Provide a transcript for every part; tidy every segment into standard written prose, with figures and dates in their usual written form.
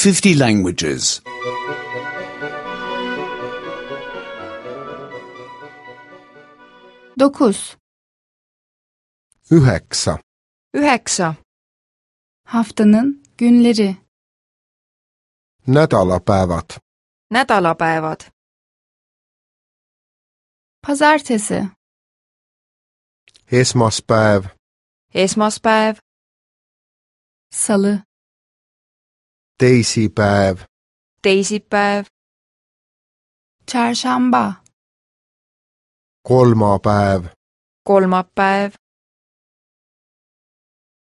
50 languages. 9. 9. 9. Haftanın günleri. Nädalapäevad. Nädalapäevad. Pazartesi, Esmaspäev. Esmaspäev. salı, Teisipäev. Teisipäev. çarşamba, Kolmapäev. Kolmapäev.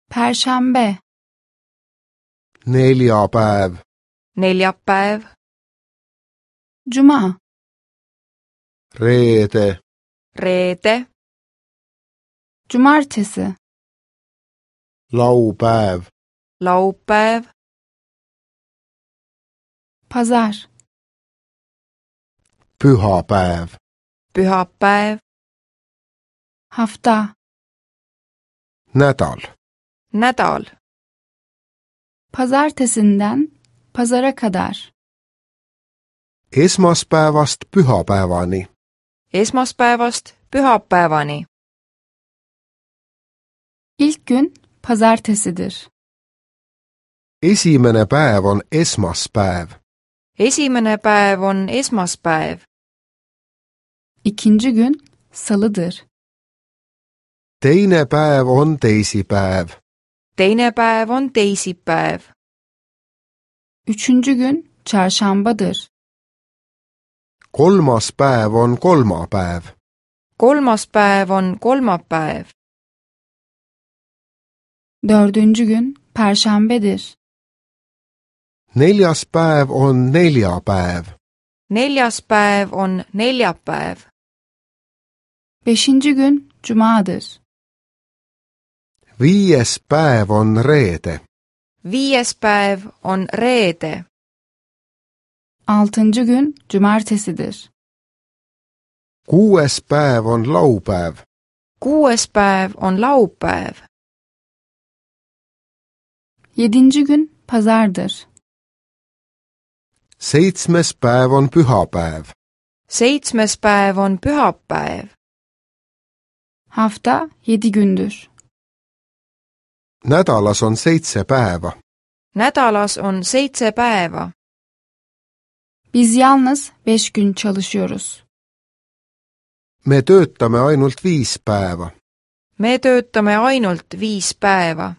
perşembe, Neljapäev. Neljapäev. cuma, Reede. Reede. cumartesi, Laupäev. Laupäev. pazar, Pühapäev. Pühapäev. hafta, Nädal. Nädal. pazartesinden pazara kadar. Esmaspäevast pühapäevani. Esmaspäevast pühapäevani. İlk gün pazartesidir. Esimene päev on esmaspäev. Esimene päev on esmaspäev. İkinci gün salıdır. Teine päev on teisipäev. Teine päev on teisipäev. Üçüncü gün çarşambadır. Kolmas päev on kolmapäev. Kolmas päev on kolmapäev. Dördüncü gün perşembedir. Neljas päev on neljapäev. Neljas päev on neljapäev. Beşinci gün cumadır. Viies päev on reede. Viies päev on reede. Altıncı gün cumartesidir. Kuues päev on laupäev. Kuues päev on laupäev. Yedinci gün pazardır. Seitsmes päev on pühapäev. Seitsmes päev on pühapäev. Hafta 7 gündür. Nädalas on 7 päeva. Nädalas on 7 päeva. Biz yalnız 5 gün çalışıyoruz. Me töötame ainult 5 päeva. Me töötame ainult 5 päeva.